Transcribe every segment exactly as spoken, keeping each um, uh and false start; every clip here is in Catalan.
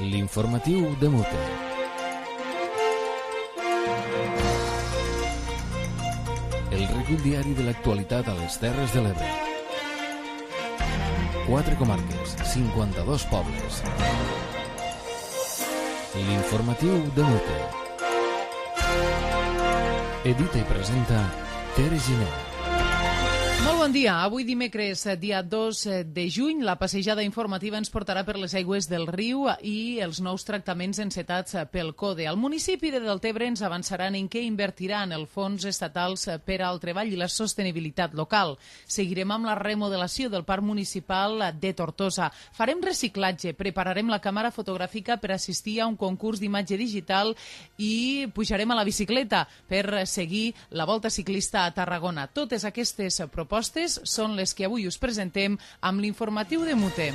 L'informatiu de Mute. El recull diari de l'actualitat a les Terres de l'Ebre. Quatre comarques, cinquanta-dos pobles. L'informatiu de Mute. Edita i presenta Tere Giner. Molt bon dia. Avui dimecres, dia dos de juny, la passejada informativa ens portarà per les aigües del riu i els nous tractaments encetats pel CODE. El municipi de Deltebre ens avançaran en què invertiran els fons estatals per al treball i la sostenibilitat local. Seguirem amb la remodelació del parc municipal de Tortosa. Farem reciclatge, prepararem la càmera fotogràfica per assistir a un concurs d'imatge digital i pujarem a la bicicleta per seguir la volta ciclista a Tarragona. Totes aquestes propostes són les que avui us presentem amb l'informatiu de Mute.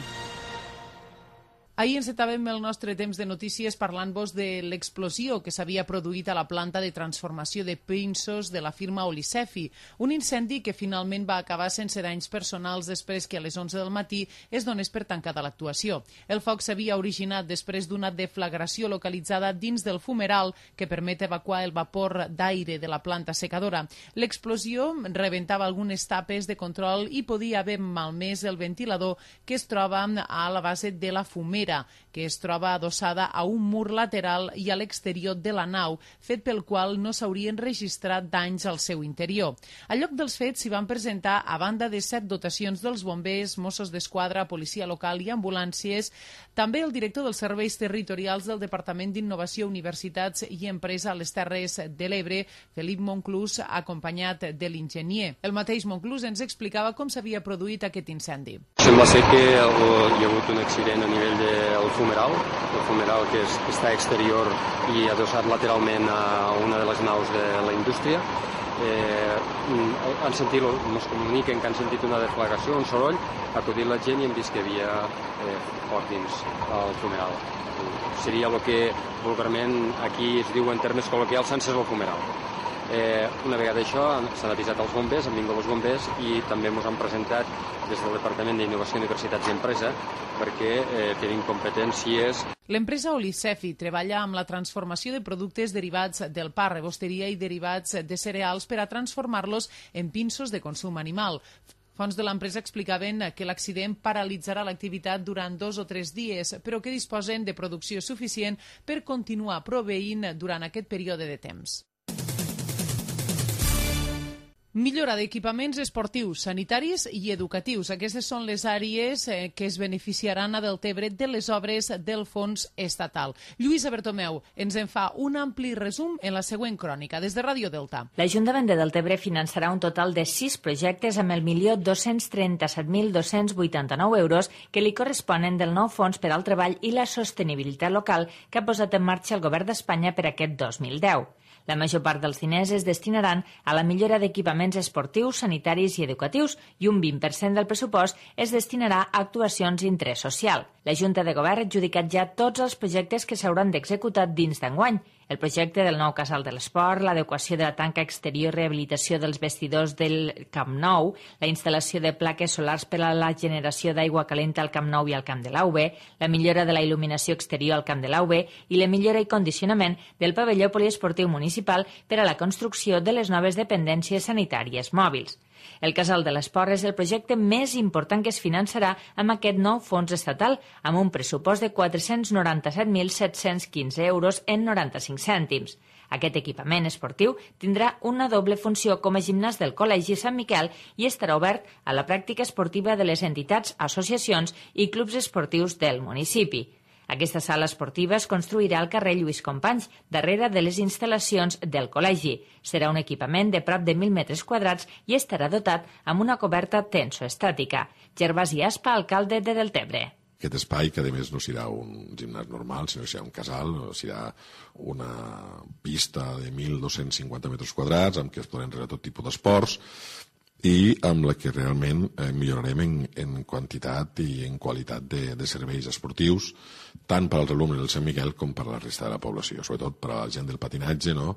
Ahir encetàvem el nostre temps de notícies parlant-vos de l'explosió que s'havia produït a la planta de transformació de pinsos de la firma Olicefi, un incendi que finalment va acabar sense danys personals després que a les onze del matí es donés per tancada l'actuació. El foc s'havia originat després d'una deflagració localitzada dins del fumeral que permet evacuar el vapor d'aire de la planta secadora. L'explosió rebentava algunes tapes de control i podia haver malmès el ventilador que es troba a la base de la fumera, que es troba adossada a un mur lateral i a l'exterior de la nau, fet pel qual no s'haurien registrat danys al seu interior. Al lloc dels fets s'hi van presentar, a banda de set dotacions dels bombers, Mossos d'Esquadra, policia local i ambulàncies, també el director dels serveis territorials del Departament d'Innovació, Universitats i Empresa a les Terres de l'Ebre, Felip Monclús, acompanyat de l'enginyer. El mateix Monclús ens explicava com s'havia produït aquest incendi. Sembla ser que hi ha hagut un accident a nivell de el fumeral, el fumeral que, és, que està exterior i adossat lateralment a una de les naus de la indústria. Eh, han sentit, ens comuniquen que han sentit una deflagració, un soroll, ha acudit la gent i hem vist que hi havia eh, foc dins el fumeral. Seria el que vulgarment aquí es diu en termes col·loquials s'ha encès el fumeral. Eh, una vegada això s'han avisat els bombers, han vingut els bombers i també ens han presentat des del Departament d'Innovació, Universitats i Empresa perquè eh, tenim competències. L'empresa Olicefi treballa amb la transformació de productes derivats del pa, rebosteria i derivats de cereals per a transformar-los en pinsos de consum animal. Fonts de l'empresa explicaven que l'accident paralitzarà l'activitat durant dos o tres dies, però que disposen de producció suficient per continuar proveint durant aquest període de temps. Millora d'equipaments esportius, sanitaris i educatius. Aquestes són les àrees eh, que es beneficiaran a Deltebre de les obres del fons estatal. Lluïsa Bertomeu ens en fa un ampli resum en la següent crònica des de Ràdio Delta. L'Ajuntament de Deltebre finançarà un total de sis projectes amb el milió dos-cents trenta-set mil dos-cents vuitanta-nou euros que li corresponen del nou fons per al treball i la sostenibilitat local que ha posat en marxa el Govern d'Espanya per aquest dos mil deu. La major part dels diners es destinaran a la millora d'equipaments esportius, sanitaris i educatius i un vint per cent del pressupost es destinarà a actuacions d'interès social. La Junta de Govern ha adjudicat ja tots els projectes que s'hauran d'executar dins d'enguany. El projecte del nou casal de l'esport, l'adequació de la tanca exterior i rehabilitació dels vestidors del Camp Nou, la instal·lació de plaques solars per a la generació d'aigua calenta al Camp Nou i al Camp de l'A U B, la millora de la il·luminació exterior al Camp de l'A U B i la millora i condicionament del pavelló poliesportiu municipal per a la construcció de les noves dependències sanitàries mòbils. El Casal de l'Esport és el projecte més important que es finançarà amb aquest nou fons estatal, amb un pressupost de quatre-cents noranta-set mil set-cents quinze euros en noranta-cinc cèntims. Aquest equipament esportiu tindrà una doble funció com a gimnàs del Col·legi Sant Miquel i estarà obert a la pràctica esportiva de les entitats, associacions i clubs esportius del municipi. Aquesta sala esportiva es construirà al carrer Lluís Companys, darrere de les instal·lacions del col·legi. Serà un equipament de prop de mil metres quadrats i estarà dotat amb una coberta tensoestàtica. Gervasi Aspa, alcalde de Deltebre. Aquest espai, que a més no serà un gimnàs normal, sinó que serà un casal, serà una pista de mil dos-cents cinquanta metres quadrats amb què es podran realitzar tot tipus d'esports i amb la que realment eh, millorarem en, en quantitat i en qualitat de, de serveis esportius, tant per als alumnes del Sant Miquel com per a la resta de la població, sobretot per a la gent del patinatge, no?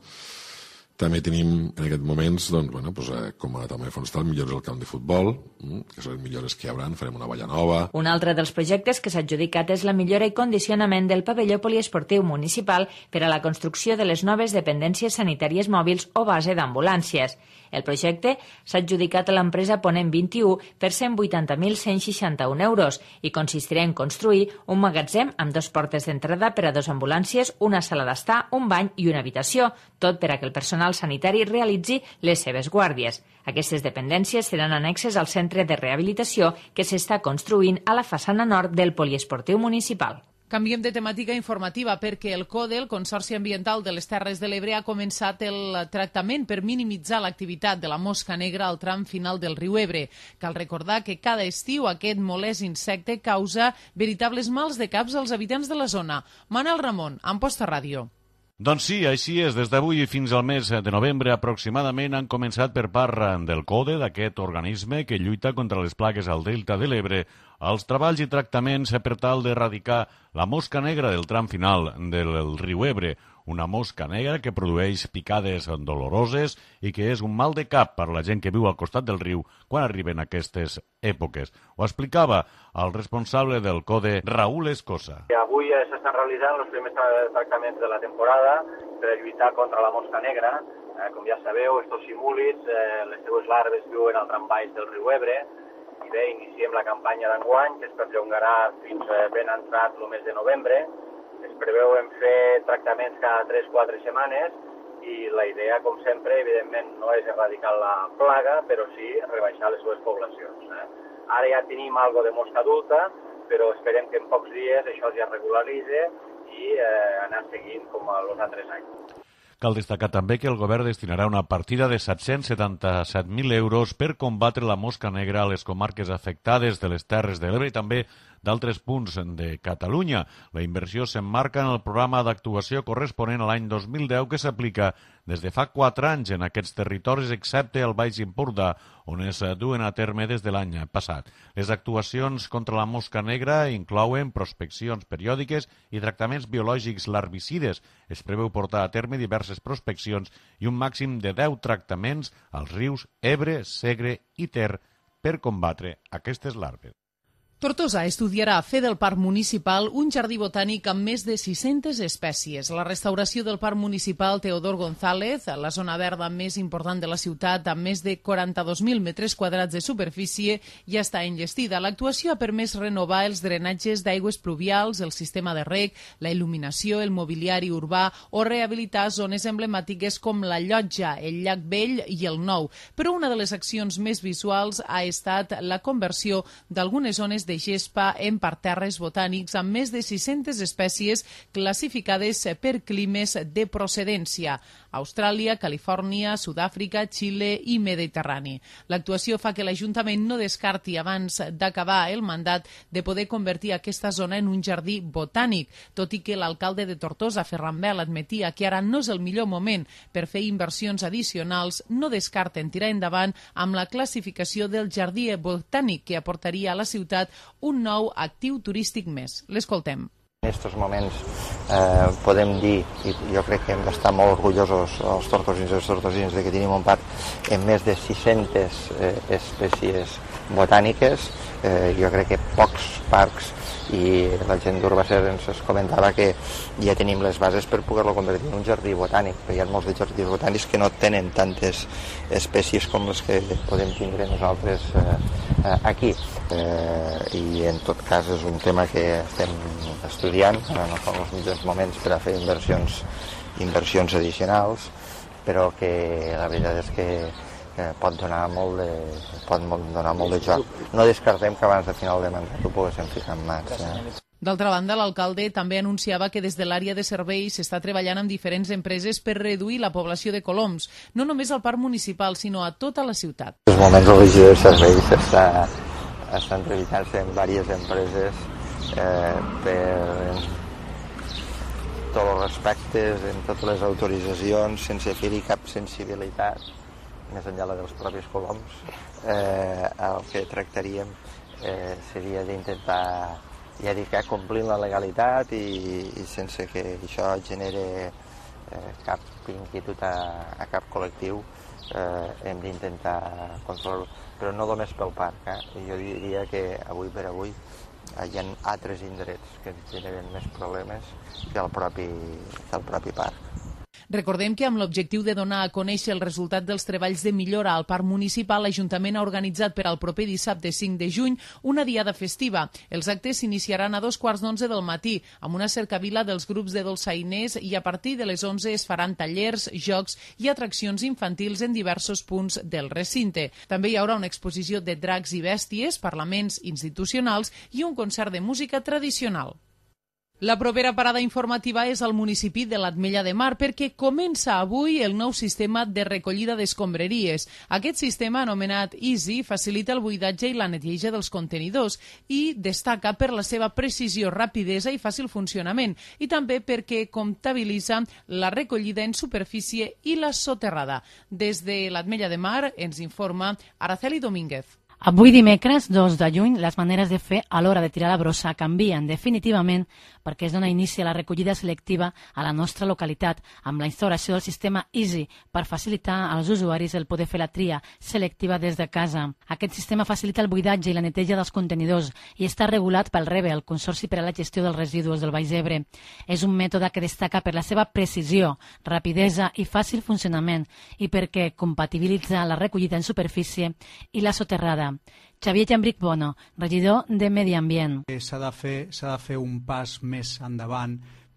També tenim en aquests moments, doncs, bueno, doncs, eh, com a també forestal, millores al camp de futbol, mm, que són les millores que hi haurà, farem una valla nova. Un altre dels projectes que s'ha adjudicat és la millora i condicionament del pavelló poliesportiu municipal per a la construcció de les noves dependències sanitàries mòbils o base d'ambulàncies. El projecte s'ha adjudicat a l'empresa Ponent vint-i-u per cent vuitanta mil cent seixanta-un euros i consistirà en construir un magatzem amb dos portes d'entrada per a dos ambulàncies, una sala d'estar, un bany i una habitació, tot per a que el personal sanitari realitzi les seves guàrdies. Aquestes dependències seran annexes al centre de rehabilitació que s'està construint a la façana nord del poliesportiu municipal. Canviem de temàtica informativa perquè el CODE, el Consorci Ambiental de les Terres de l'Ebre, ha començat el tractament per minimitzar l'activitat de la mosca negra al tram final del riu Ebre. Cal recordar que cada estiu aquest molest insecte causa veritables mals de caps als habitants de la zona. Manel Ramon, Amposta Ràdio. Doncs sí, així és. Des d'avui fins al mes de novembre aproximadament han començat per part del CODE, d'aquest organisme que lluita contra les plagues al delta de l'Ebre, els treballs i tractaments per tal d'erradicar la mosca negra del tram final del riu Ebre, una mosca negra que produeix picades doloroses i que és un mal de cap per la gent que viu al costat del riu quan arriben aquestes èpoques. Ho explicava el responsable del CODE, Raúl Escosa. Avui s'estan realitzant els primers tractaments de la temporada per lluitar contra la mosca negra. Eh, com ja sabeu, estos simúlids, eh, les seues larves viuen al tram baix del riu Ebre. I bé, iniciem la campanya d'enguany, que es perllongarà fins ben entrat el mes de novembre. Es preveuen fer tractaments cada tres a quatre setmanes i la idea, com sempre, evidentment, no és erradicar la plaga, però sí rebaixar les seves poblacions. Eh? Ara ja tenim algo de mosca adulta, però esperem que en pocs dies això ja regularitzi i eh, anar seguint com els altres anys. Cal destacar també que el govern destinarà una partida de set-cents setanta-set mil euros per combatre la mosca negra a les comarques afectades de les Terres de l'Ebre i també d'altres punts de Catalunya. La inversió s'emmarca en el programa d'actuació corresponent a l'any dos mil deu que s'aplica des de fa quatre anys en aquests territoris, excepte el Baix Empordà, on es duen a terme des de l'any passat. Les actuacions contra la mosca negra inclouen prospeccions periòdiques i tractaments biològics larvicides. Es preveu portar a terme diverses prospeccions i un màxim de deu tractaments als rius Ebre, Segre i Ter per combatre aquestes larves. Tortosa estudiarà a fer del Parc Municipal un jardí botànic amb més de sis-centes espècies. La restauració del Parc Municipal Teodor González, la zona verda més important de la ciutat, amb més de quaranta-dos mil metres quadrats de superfície, ja està enllestida. L'actuació ha permès renovar els drenatges d'aigües pluvials, el sistema de reg, la il·luminació, el mobiliari urbà o rehabilitar zones emblemàtiques com la Llotja, el Llac Vell i el Nou. Però una de les accions més visuals ha estat la conversió d'algunes zones de gespa en parterres botànics amb més de sis-centes espècies classificades per climes de procedència: Austràlia, Califòrnia, Sud-àfrica, Xile i Mediterrani. L'actuació fa que l'Ajuntament no descarti abans d'acabar el mandat de poder convertir aquesta zona en un jardí botànic, tot i que l'alcalde de Tortosa, Ferran Bel, admetia que ara no és el millor moment per fer inversions addicionals. No descarten tirar endavant amb la classificació del jardí botànic que aportaria a la ciutat un nou actiu turístic més. L'escoltem. En aquests moments eh, podem dir, i jo crec que hem d'estar molt orgullosos els tortosins i els tortosins de que tenim un parc amb més de sis-centes eh, espècies botàniques. Eh, jo crec que pocs parcs, i la gent d'Urbacer ens comentava que ja tenim les bases per poder-lo convertir en un jardí botànic, perquè hi ha molts de jardins botànics que no tenen tantes espècies com les que podem tindre nosaltres eh, aquí. Eh, I en tot cas és un tema que estem estudiant, no són els millors moments per a fer inversions, inversions addicionals, però que la veritat és que pot donar molt de, pot donar molt de joc. No descartem que abans de final de mandat ho poguéssim ficar en mans. Eh? D'altra banda, l'alcalde també anunciava que des de l'àrea de serveis s'està treballant amb diferents empreses per reduir la població de coloms, no només al parc municipal, sinó a tota la ciutat. En els moments el regidor de serveis està, està entrevistant-se amb diverses empreses eh, per tots els respectes, en totes les autoritzacions, sense fer-hi cap sensibilitat, més enllà dels propis coloms. Eh, el que tractaríem eh, seria d'intentar, ja dic, complir la legalitat i, i sense que això genere eh, cap inquietud a, a cap col·lectiu, eh, hem d'intentar controlar-ho, però no només pel parc. Eh? Jo diria que avui per avui hi ha altres indrets que ens generen més problemes que el propi, que el propi parc. Recordem que amb l'objectiu de donar a conèixer el resultat dels treballs de millora al Parc Municipal, l'Ajuntament ha organitzat per al proper dissabte cinc de juny una diada festiva. Els actes s'iniciaran a dos quarts d'onze del matí, amb una cercavila dels grups de dolçainers, i a partir de les onze es faran tallers, jocs i atraccions infantils en diversos punts del recinte. També hi haurà una exposició de dracs i bèsties, parlaments institucionals i un concert de música tradicional. La propera parada informativa és al municipi de l'Ametlla de Mar, perquè comença avui el nou sistema de recollida d'escombraries. Aquest sistema, anomenat Easy, facilita el buidatge i la neteja dels contenidors i destaca per la seva precisió, rapidesa i fàcil funcionament, i també perquè comptabilitza la recollida en superfície i la soterrada. Des de l'Ametlla de Mar ens informa Araceli Domínguez. Avui dimecres, dos de juny, les maneres de fer a l'hora de tirar la brossa canvien definitivament perquè es dona inici a la recollida selectiva a la nostra localitat amb la instauració del sistema Easy per facilitar als usuaris el poder fer la tria selectiva des de casa. Aquest sistema facilita el buidatge i la neteja dels contenidors i està regulat pel REBE, el Consorci per a la Gestió dels Residus del Baix Ebre. És un mètode que destaca per la seva precisió, rapidesa i fàcil funcionament i perquè compatibilitza la recollida en superfície i la soterrada. Xavier Llambric Bono, regidor de Medi Ambient. S'ha de fer, s'ha de fer un pas més endavant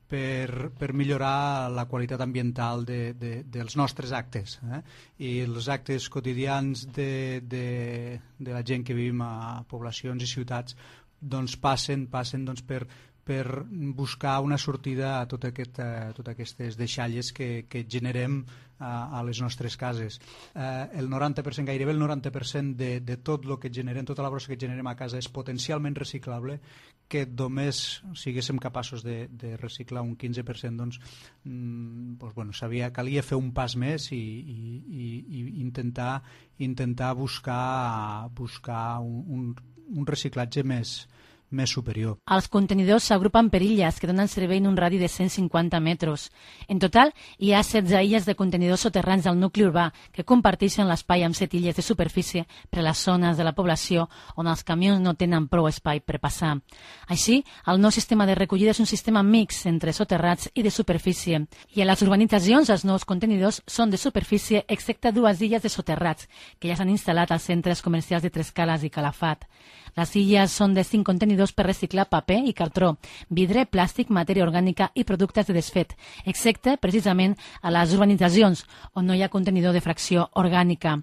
per, per millorar la qualitat ambiental de, de, dels nostres actes. Eh? I els actes quotidians de, de, de la gent que vivim a poblacions i ciutats doncs passen, passen doncs per, per buscar una sortida a tot aquest, a totes aquestes deixalles que, que generem a, a les nostres cases. Eh, el noranta per cent, gairebé el noranta per cent de, de tot el que generem, tota la brossa que generem a casa és potencialment reciclable, que només siguéssim capaços de, de reciclar un quinze per cent, doncs, mm, doncs bueno, sabia, calia fer un pas més i, i, i, i intentar, intentar buscar, buscar un, un, un reciclatge més, més superior. Els contenidors s'agrupen per illes que donen servei en un radi de cent cinquanta metres. En total, hi ha setze illes de contenidors soterrans del nucli urbà que comparteixen l'espai amb set illes de superfície per a les zones de la població on els camions no tenen prou espai per passar. Així, el nou sistema de recollida és un sistema mix entre soterrats i de superfície. I a les urbanitzacions els nous contenidors són de superfície excepte dues illes de soterrats que ja s'han instal·lat als centres comercials de Trescales i Calafat. Les illes són de cinc contenidors per reciclar paper i cartró, vidre, plàstic, matèria orgànica i productes de desfet, excepte, precisament, a les urbanitzacions, on no hi ha contenidor de fracció orgànica.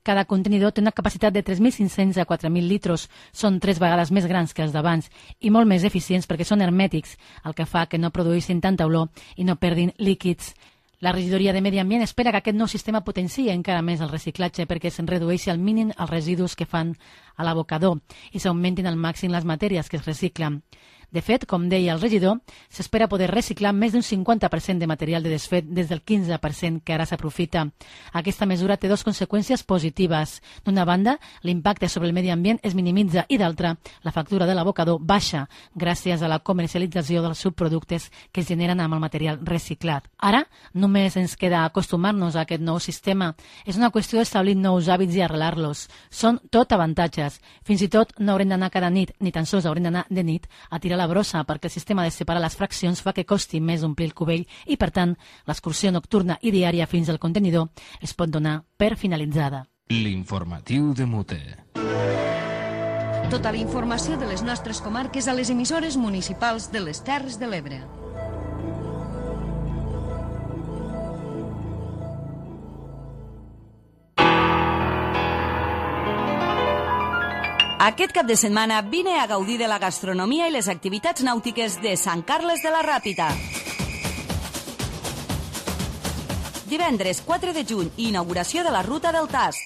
Cada contenidor té una capacitat de tres mil cinc-cents a quatre mil litres. Són tres vegades més grans que els d'abans i molt més eficients perquè són hermètics, el que fa que no produeixin tanta olor i no perdin líquids. La regidoria de Medi Ambient espera que aquest nou sistema potenciï encara més el reciclatge perquè se'n redueixi al mínim els residus que fan a l'abocador i s'augmentin al màxim les matèries que es reciclen. De fet, com deia el regidor, s'espera poder reciclar més d'un cinquanta per cent de material de desfet des del quinze per cent que ara s'aprofita. Aquesta mesura té dues conseqüències positives. D'una banda, l'impacte sobre el medi ambient es minimitza i d'altra, la factura de l'abocador baixa gràcies a la comercialització dels subproductes que es generen amb el material reciclat. Ara, només ens queda acostumar-nos a aquest nou sistema. És una qüestió d'establir nous hàbits i arrelar-los. Són tot avantatges. Fins i tot no haurem d'anar cada nit, ni tan sols haurem d'anar de nit a tirar la brossa perquè el sistema de separar les fraccions fa que costi més omplir el cubell i, per tant, l'excursió nocturna i diària fins al contenidor es pot donar per finalitzada. L'informatiu de Mute. Tota la informació de les nostres comarques a les emissores municipals de les Terres de l'Ebre. Aquest cap de setmana vine a gaudir de la gastronomia i les activitats nàutiques de Sant Carles de la Ràpita. Divendres quatre de juny, inauguració de la Ruta del Tast.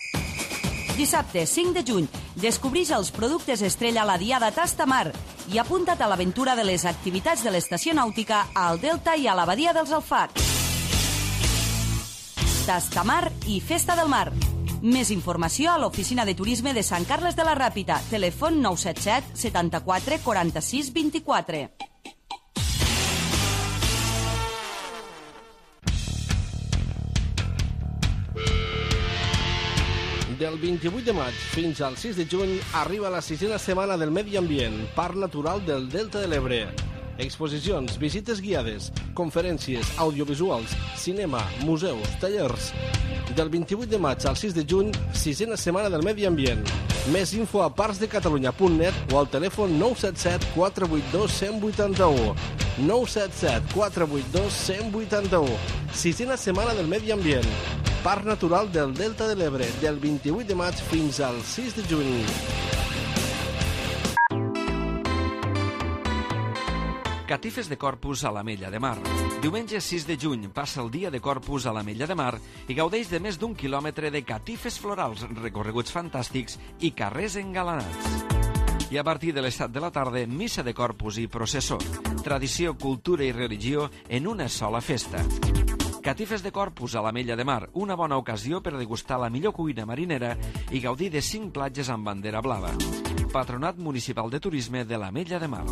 Dissabte cinc de juny, descobrix els productes estrella a la Diada Tastamar i apunta't a l'aventura de les activitats de l'estació nàutica al Delta i a la Badia dels Alfacs. Tastamar i Festa del Mar. Més informació a l'Oficina de Turisme de Sant Carles de la Ràpita. Telèfon nou set set setanta-quatre quaranta-sis vint-i-quatre. Del vint-i-vuit de maig fins al sis de juny arriba la sisena setmana del Medi Ambient, Parc Natural del Delta de l'Ebre. Exposicions, visites guiades, conferències, audiovisuals, cinema, museus, tallers. Del vint-i-vuit de maig al sis de juny, sisena setmana del Medi Ambient. Més info a parcs de catalunya punt net o al telèfon nou set set quatre vuit dos un zero vuit u. nou set set quatre vuit dos un zero vuit u. Sisena setmana del Medi Ambient. Parc Natural del Delta de l'Ebre, del vint-i-vuit de maig fins al sis de juny. Catifes de Corpus a l'Ametlla de Mar. Diumenge sis de juny passa el dia de Corpus a l'Ametlla de Mar i gaudeix de més d'un quilòmetre de catifes florals, recorreguts fantàstics i carrers engalanats. I a partir de les set de la tarda, missa de Corpus i processó. Tradició, cultura i religió en una sola festa. Catifes de Corpus a l'Ametlla de Mar, una bona ocasió per degustar la millor cuina marinera i gaudir de cinc platges amb bandera blava. Patronat Municipal de Turisme de l'Ametlla de Mar.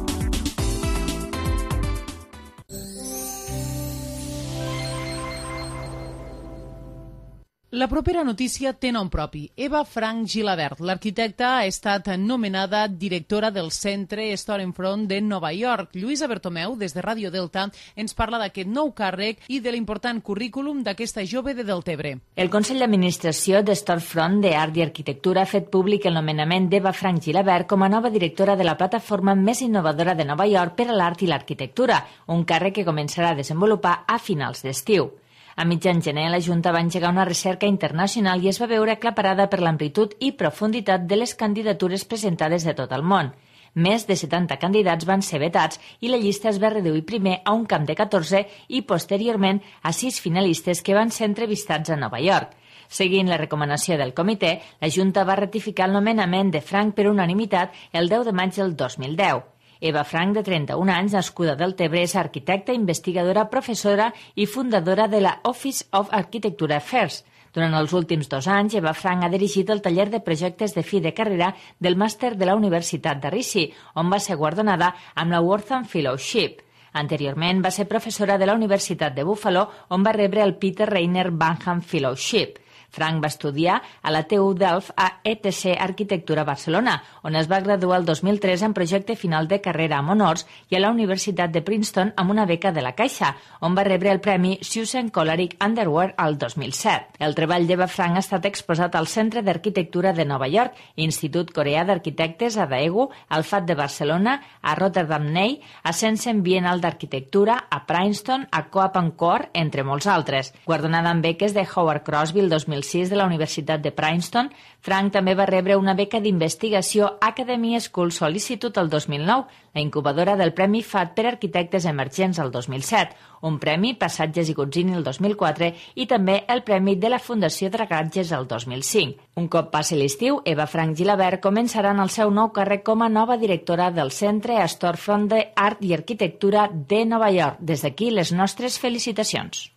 La propera notícia té nom propi. Eva Frank Gilabert, l'arquitecta, ha estat nomenada directora del Centre Storefront de Nova York. Lluïsa Bertomeu, des de Ràdio Delta, ens parla d'aquest nou càrrec i de l'important currículum d'aquesta jove de Deltebre. El Consell d'Administració de Storefront d'Art i Arquitectura ha fet públic el nomenament d'Eva Frank Gilabert com a nova directora de la plataforma més innovadora de Nova York per a l'art i l'arquitectura, un càrrec que començarà a desenvolupar a finals d'estiu. A mitjan gener, la Junta va engegar una recerca internacional i es va veure aclaparada per l'amplitud i profunditat de les candidatures presentades de tot el món. Més de setanta candidats van ser vetats i la llista es va reduir primer a un camp de catorze i posteriorment a sis finalistes que van ser entrevistats a Nova York. Seguint la recomanació del comitè, la Junta va ratificar el nomenament de Frank per unanimitat el deu de maig del dos mil deu. Eva Frank, de trenta-un anys, nascuda del Deltebre, és arquitecta, investigadora, professora i fundadora de la Office of Architecture Affairs. Durant els últims dos anys, Eva Frank ha dirigit el taller de projectes de fi de carrera del màster de la Universitat d'Arisi, on va ser guardonada amb la Wortham Fellowship. Anteriorment va ser professora de la Universitat de Buffalo, on va rebre el Peter Rainer Banham Fellowship. Frank va estudiar a la T U Delft a E T C Arquitectura Barcelona, on es va graduar el dos mil tres en projecte final de carrera amb honors, i a la Universitat de Princeton amb una beca de la Caixa, on va rebre el premi Susan Colarick Underwear al dos mil set. El treball d'Eva Frank ha estat exposat al Centre d'Arquitectura de Nova York, Institut Coreà d'Arquitectes a Daegu, al F A T de Barcelona, a Rotterdam Ney, a Sensen Bienal d'Arquitectura, a Princeton, a Coap and Core, entre molts altres. Guardonada amb beques de Howard Crosby el dos mil sis de la Universitat de Princeton, Frank també va rebre una beca d'investigació Academy School Solicitude el dos mil nou, la incubadora del Premi F A T per Arquitectes Emergents el dos mil set, un premi Passatges i Gozzini el dos mil quatre i també el Premi de la Fundació Dragatges el dos mil cinc. Un cop passi l'estiu, Eva Frank Gilabert començarà en el seu nou càrrec com a nova directora del Centre Storefront d'Art i Arquitectura de Nova York. Des d'aquí, les nostres felicitacions.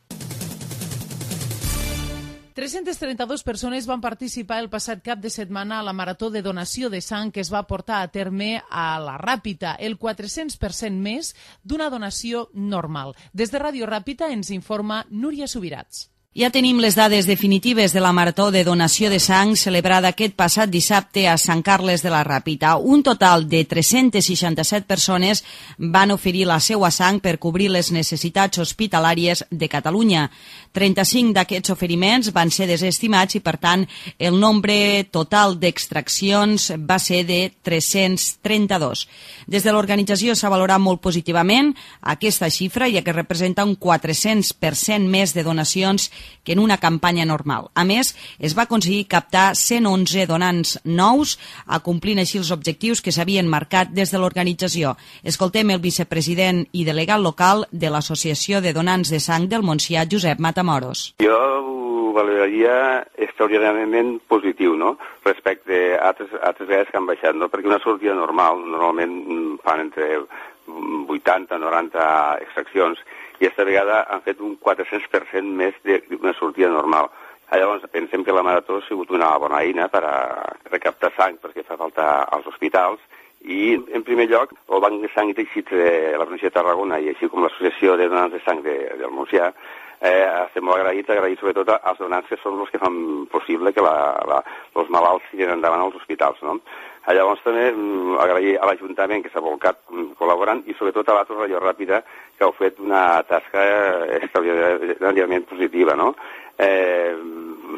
tres-centes trenta-dues persones van participar el passat cap de setmana a la marató de donació de sang que es va portar a terme a la Ràpita, el quatre-cents per cent més d'una donació normal. Des de Ràdio Ràpita ens informa Núria Subirats. Ja tenim les dades definitives de la marató de donació de sang celebrada aquest passat dissabte a Sant Carles de la Ràpita. Un total de tres-centes seixanta-set persones van oferir la seva sang per cobrir les necessitats hospitalàries de Catalunya. trenta-cinc d'aquests oferiments van ser desestimats i, per tant, el nombre total d'extraccions va ser de tres-cents trenta-dos. Des de l'organització s'ha valorat molt positivament aquesta xifra, ja que representa un quatre-cents per cent més de donacions que en una campanya normal. A més, es va aconseguir captar cent onze donants nous, acomplint així els objectius que s'havien marcat des de l'organització. Escoltem el vicepresident i delegat local de l'Associació de Donants de Sang del Montsià, Josep Matamoros. Jo ho valoraria extraordinàriament positiu, no?, respecte a altres, altres vegades que han baixat, no?, perquè una sortida normal, normalment fan entre vuitanta a noranta extraccions, i aquesta vegada han fet un quatre-cents per cent més d'una sortida normal. Llavors pensem que la marató ha sigut una bona eina per a recaptar sang perquè fa falta als hospitals I, en primer lloc, el Banc de Sang i Teixits de la província de Tarragona i així com l'Associació de Donants de Sang de, del Montsià eh, estem molt agraïts, agraïts sobretot als donants que són els que fan possible que la, la, els malalts siguen endavant als hospitals, no? Llavors també agrair a l'Ajuntament que s'ha volcat col·laborant i sobretot a l'Atos Radio Ràpida que heu fet una tasca extraordinàriament positiva, no? Eh,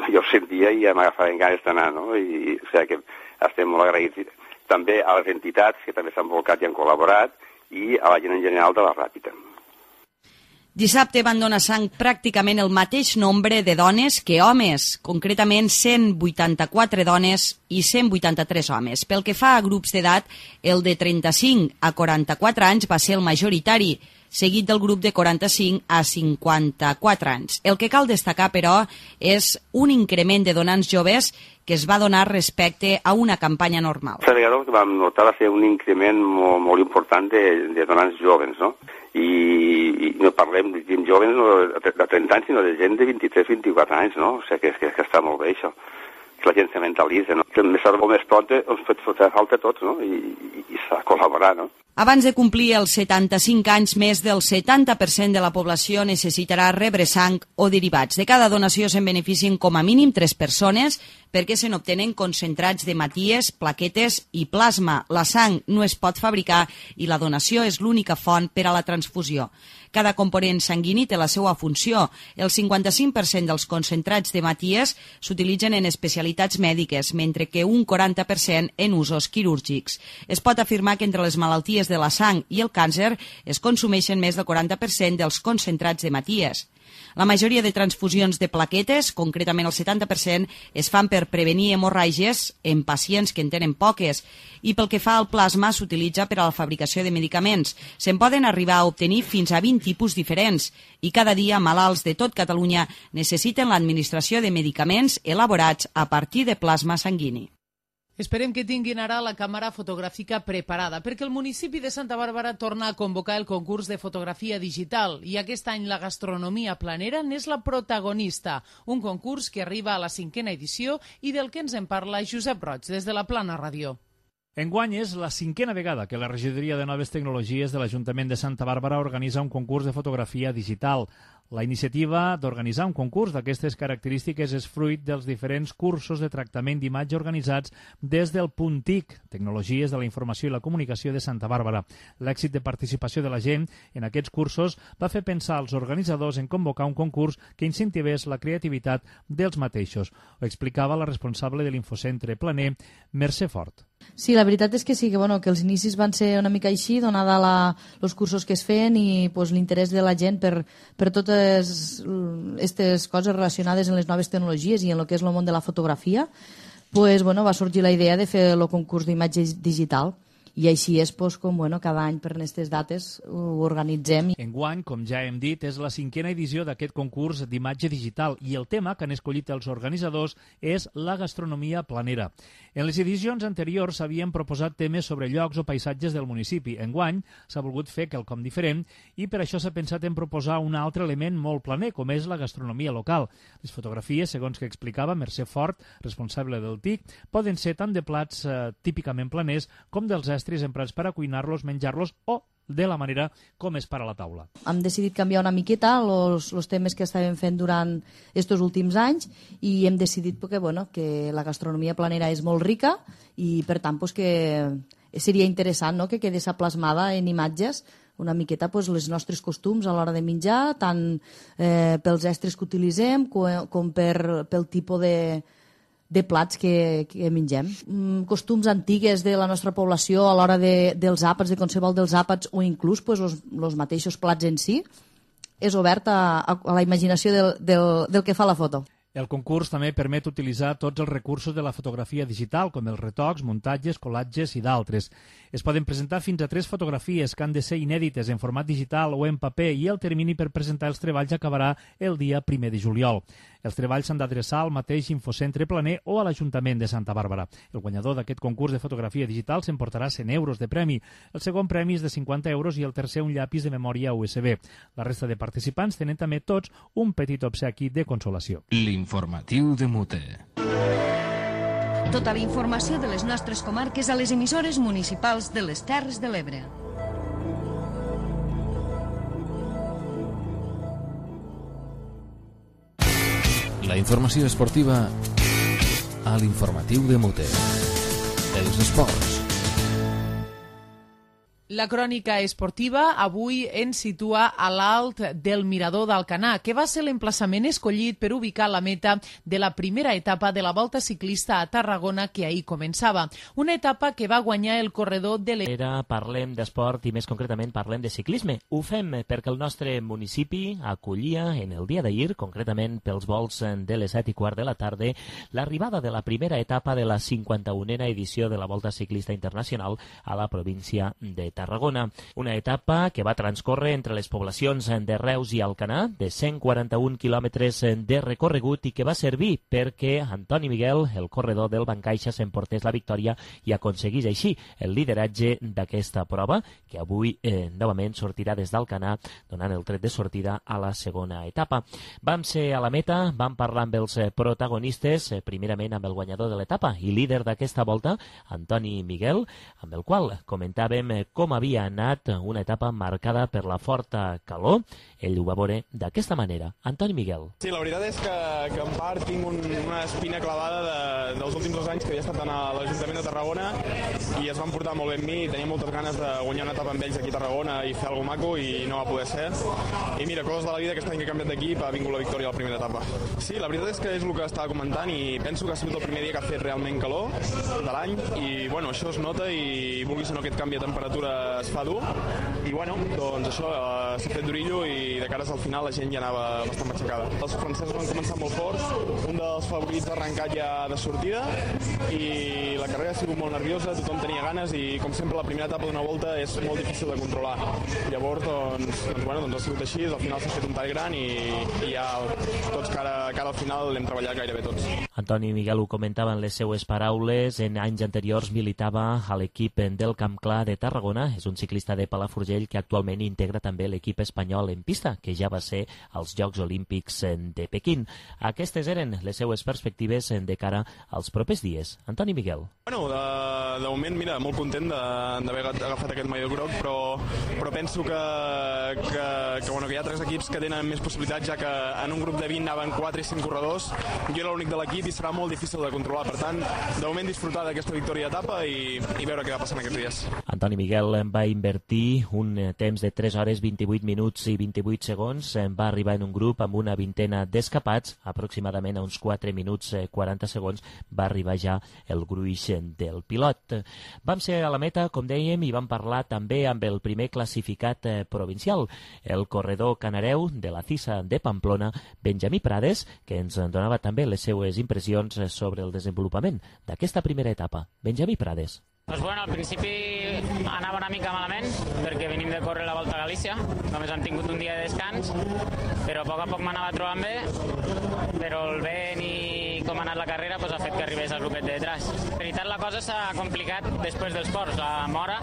jo ho sentia i ja m'agafaven ganes d'anar, no? I, o sigui que estem molt agraïts també a les entitats que també s'han volcat i han col·laborat i a la gent en general de la Ràpida. Dissabte van donar sang pràcticament el mateix nombre de dones que homes, concretament cent vuitanta-quatre dones i cent vuitanta-tres homes. Pel que fa a grups d'edat, el de trenta-cinc a quaranta-quatre anys va ser el majoritari, seguit del grup de quaranta-cinc a cinquanta-quatre anys. El que cal destacar, però, és un increment de donants joves que es va donar respecte a una campanya normal. La vegada que vam notar va ser un increment molt, molt important de, de donants joves, no? I, i no parlem de gent joves no, de trenta anys, sinó de gent de vint-i-tres a vint-i-quatre anys, no? O sigui que, que, que està molt bé, això. Que la gent se mentalitza, no? Que més tard o més pronta ens pot fer falta a tots, no? I, i, i s'ha de col·laborar, no? Abans de complir els setanta-cinc anys, més del setanta per cent de la població necessitarà rebre sang o derivats. De cada donació se'n beneficien com a mínim tres persones perquè se n'obtenen concentrats d'hematies, plaquetes i plasma. La sang no es pot fabricar i la donació és l'única font per a la transfusió. Cada component sanguini té la seva funció. El cinquanta-cinc per cent dels concentrats d'hematies s'utilitzen en especialitats mèdiques, mentre que un quaranta per cent en usos quirúrgics. Es pot afirmar que entre les malalties de la sang i el càncer es consumeixen més del quaranta per cent dels concentrats d'hematies. La majoria de transfusions de plaquetes, concretament el setanta per cent, es fan per prevenir hemorràgies en pacients que en tenen poques i pel que fa al plasma s'utilitza per a la fabricació de medicaments. Se'n poden arribar a obtenir fins a vint tipus diferents i cada dia malalts de tot Catalunya necessiten l'administració de medicaments elaborats a partir de plasma sanguini. Esperem que tinguin ara la càmera fotogràfica preparada, perquè el municipi de Santa Bàrbara torna a convocar el concurs de fotografia digital i aquest any la gastronomia planera n'és la protagonista, un concurs que arriba a la cinquena edició i del que ens en parla Josep Roig, des de la Plana Ràdio. Enguany és la cinquena vegada que la Regidoria de Noves Tecnologies de l'Ajuntament de Santa Bàrbara organitza un concurs de fotografia digital. La iniciativa d'organitzar un concurs d'aquestes característiques és fruit dels diferents cursos de tractament d'imatge organitzats des del Puntic, Tecnologies de la Informació i la Comunicació de Santa Bàrbara. L'èxit de participació de la gent en aquests cursos va fer pensar als organitzadors en convocar un concurs que incentivés la creativitat dels mateixos. Ho explicava la responsable de l'Infocentre Planer, Mercè Fort. Sí, la veritat és que sí, que, bueno, que els inicis van ser una mica així, donada els cursos que es feien i pues, l'interès de la gent per, per totes aquestes coses relacionades amb les noves tecnologies i en el que és el món de la fotografia, pues, bueno, va sorgir la idea de fer el concurs d'imatge digital. I així és pues, com bueno, cada any per aquestes dates ho organitzem. Enguany, com ja hem dit, és la cinquena edició d'aquest concurs d'imatge digital i el tema que han escollit els organitzadors és la gastronomia planera. En les edicions anteriors s'havien proposat temes sobre llocs o paisatges del municipi. Enguany s'ha volgut fer quelcom diferent i per això s'ha pensat en proposar un altre element molt planer, com és la gastronomia local. Les fotografies, segons que explicava Mercè Fort, responsable del T I C, poden ser tant de plats eh, típicament planers com dels estris emprats per a cuinar-los, menjar-los o de la manera com és per a la taula. Hem decidit canviar una miqueta els temes que estàvem fent durant aquests últims anys i hem decidit que, bueno, que la gastronomia planera és molt rica i per tant pues, que seria interessant, no?, que quedés plasmada en imatges una miqueta pues, les nostres costums a l'hora de menjar, tant eh, pels estris que utilitzem com, com per, pel tipus de de plats que, que mengem. Mm, costums antigues de la nostra població a l'hora de, dels àpats, de qualsevol dels àpats o inclús pues, els, els mateixos plats en si, és obert a, a, a la imaginació del, del, del que fa la foto. El concurs també permet utilitzar tots els recursos de la fotografia digital, com els retocs, muntatges, colatges i d'altres. Es poden presentar fins a tres fotografies que han de ser inèdites en format digital o en paper i el termini per presentar els treballs acabarà el dia primer de juliol. Els treballs s'han d'adreçar al mateix Infocentre Planer o a l'Ajuntament de Santa Bàrbara. El guanyador d'aquest concurs de fotografia digital s'emportarà cent euros de premi. El segon premi és de cinquanta euros i el tercer un llapis de memòria U S B. La resta de participants tenen també tots un petit obsequi de consolació. L'informatiu de Mute. Tota la informació de les nostres comarques a les emissores municipals de les Terres de l'Ebre. La informació esportiva a l'informatiu de Mute. Els esports. La crònica esportiva avui ens situa a l'alt del Mirador d'Alcanar, que va ser l'emplaçament escollit per ubicar la meta de la primera etapa de la Volta Ciclista a Tarragona que ahir començava. Una etapa que va guanyar el corredor de l'E... Parlem d'esport i més concretament parlem de ciclisme. Ho fem perquè el nostre municipi acollia en el dia d'ahir, concretament pels vols de les set i quart de la tarda, l'arribada de la primera etapa de la cinquanta-unena edició de la Volta Ciclista Internacional a la província de Tarragona. Una etapa que va transcórrer entre les poblacions de Reus i Alcanar, de cent quaranta-un quilòmetres de recorregut i que va servir perquè Antoni Miguel, el corredor del Bancaixa, s'emportés la victòria i aconseguís així el lideratge d'aquesta prova, que avui eh, novament sortirà des d'Alcanar, donant el tret de sortida a la segona etapa. Vam ser a la meta, vam parlar amb els protagonistes, eh, primerament amb el guanyador de l'etapa i líder d'aquesta volta, Antoni Miguel, amb el qual comentàvem com havia anat una etapa marcada per la forta calor. Ell ho va veure d'aquesta manera. Antoni Miguel. Sí, la veritat és que, que en part tinc un, una espina clavada de, dels últims dos anys que havia estat a l'Ajuntament de Tarragona i es van portar molt bé amb mi, tenia moltes ganes de guanyar una etapa amb ells aquí a Tarragona i fer alguna maco i no va poder ser. I mira, coses de la vida, aquest any que he canviat d'equip ha vingut la victòria a la primera etapa. Sí, la veritat és que és el que estava comentant i penso que ha sigut el primer dia que ha fet realment calor de l'any i bueno, això es nota i vulguis o no aquest canvi de temperatura es fa dur i bueno, doncs això eh, s'ha fet durillo i de cares al final la gent ja anava bastant matxacada. Els francesos van començar molt forts, un dels favorits ha arrencat ja de sortida i la carrera ha sigut molt nerviosa, tothom tenia ganes i com sempre la primera etapa d'una volta és molt difícil de controlar. Llavors doncs, doncs, bueno, doncs ha sigut així, al final s'ha fet un tall gran i, i ja tots cara, cara al final l'hem treballat gairebé tots. Antoni Miguel ho comentava en les seues paraules, en anys anteriors militava a l'equip del Camp Clar de Tarragona, és un ciclista de Palafrugell que actualment integra també l'equip espanyol en pista, que ja va ser als Jocs Olímpics de Pequín. Aquestes eren les seues perspectives de cara als propers dies. Antoni Miguel. Bueno, de, de moment, mira, molt content d'haver agafat aquest maillot groc, però, però penso que, que, que, bueno, que hi ha tres equips que tenen més possibilitats, ja que en un grup de vint anaven quatre i cinc corredors, jo era l'únic de l'equip i serà molt difícil de controlar. Per tant, de moment disfrutar d'aquesta victòria d'etapa i, i veure què va passar en aquests dies. Antoni Miguel va invertir un temps de tres hores vint-i-vuit minuts i vint-i-vuit segons, va arribar en un grup amb una vintena d'escapats, aproximadament a uns quatre minuts quaranta segons va arribar ja el gruix del pilot. Vam ser a la meta, com dèiem, i vam parlar també amb el primer classificat provincial, el corredor canareu de la CISA de Pamplona, Benjamí Prades, que ens donava també les seues impressions sobre el desenvolupament d'aquesta primera etapa. Benjamí Prades. Doncs bueno, al principi anava una mica malament perquè venim de córrer la Volta a Galícia, només hem tingut un dia de descans, però a poc a poc m'anava trobant bé, però el vent i com ha anat la carrera pues, ha fet que arribés al grupet de detrás. En veritat la cosa s'ha complicat després dels ports, a Mora,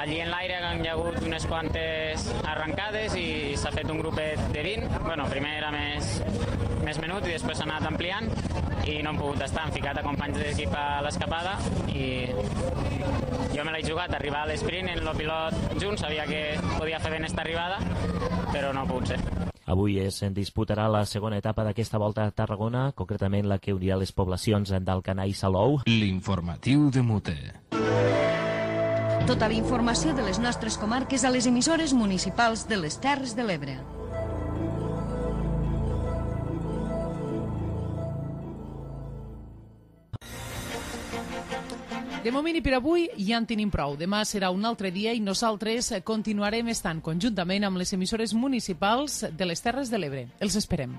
allí en l'aire han hi ha hagut unes quantes arrencades i s'ha fet un grupet de vint, bueno, primer era més, més menut i després s'ha anat ampliant i no hem pogut estar, hem ficat a companys d'equip a l'escapada i jo me l'he jugat a arribar a l'esprint en el pilot junt, sabia que podia fer ben esta arribada, però no ha pogut ser. Avui es disputarà la segona etapa d'aquesta volta a Tarragona, concretament la que unirà les poblacions d'Alcanar i Salou. L'informatiu de Mute. Tota la informació de les nostres comarques a les emissores municipals de les Terres de l'Ebre. De moment i per avui ja en tenim prou. Demà serà un altre dia i nosaltres continuarem estant conjuntament amb les emissores municipals de les Terres de l'Ebre. Els esperem.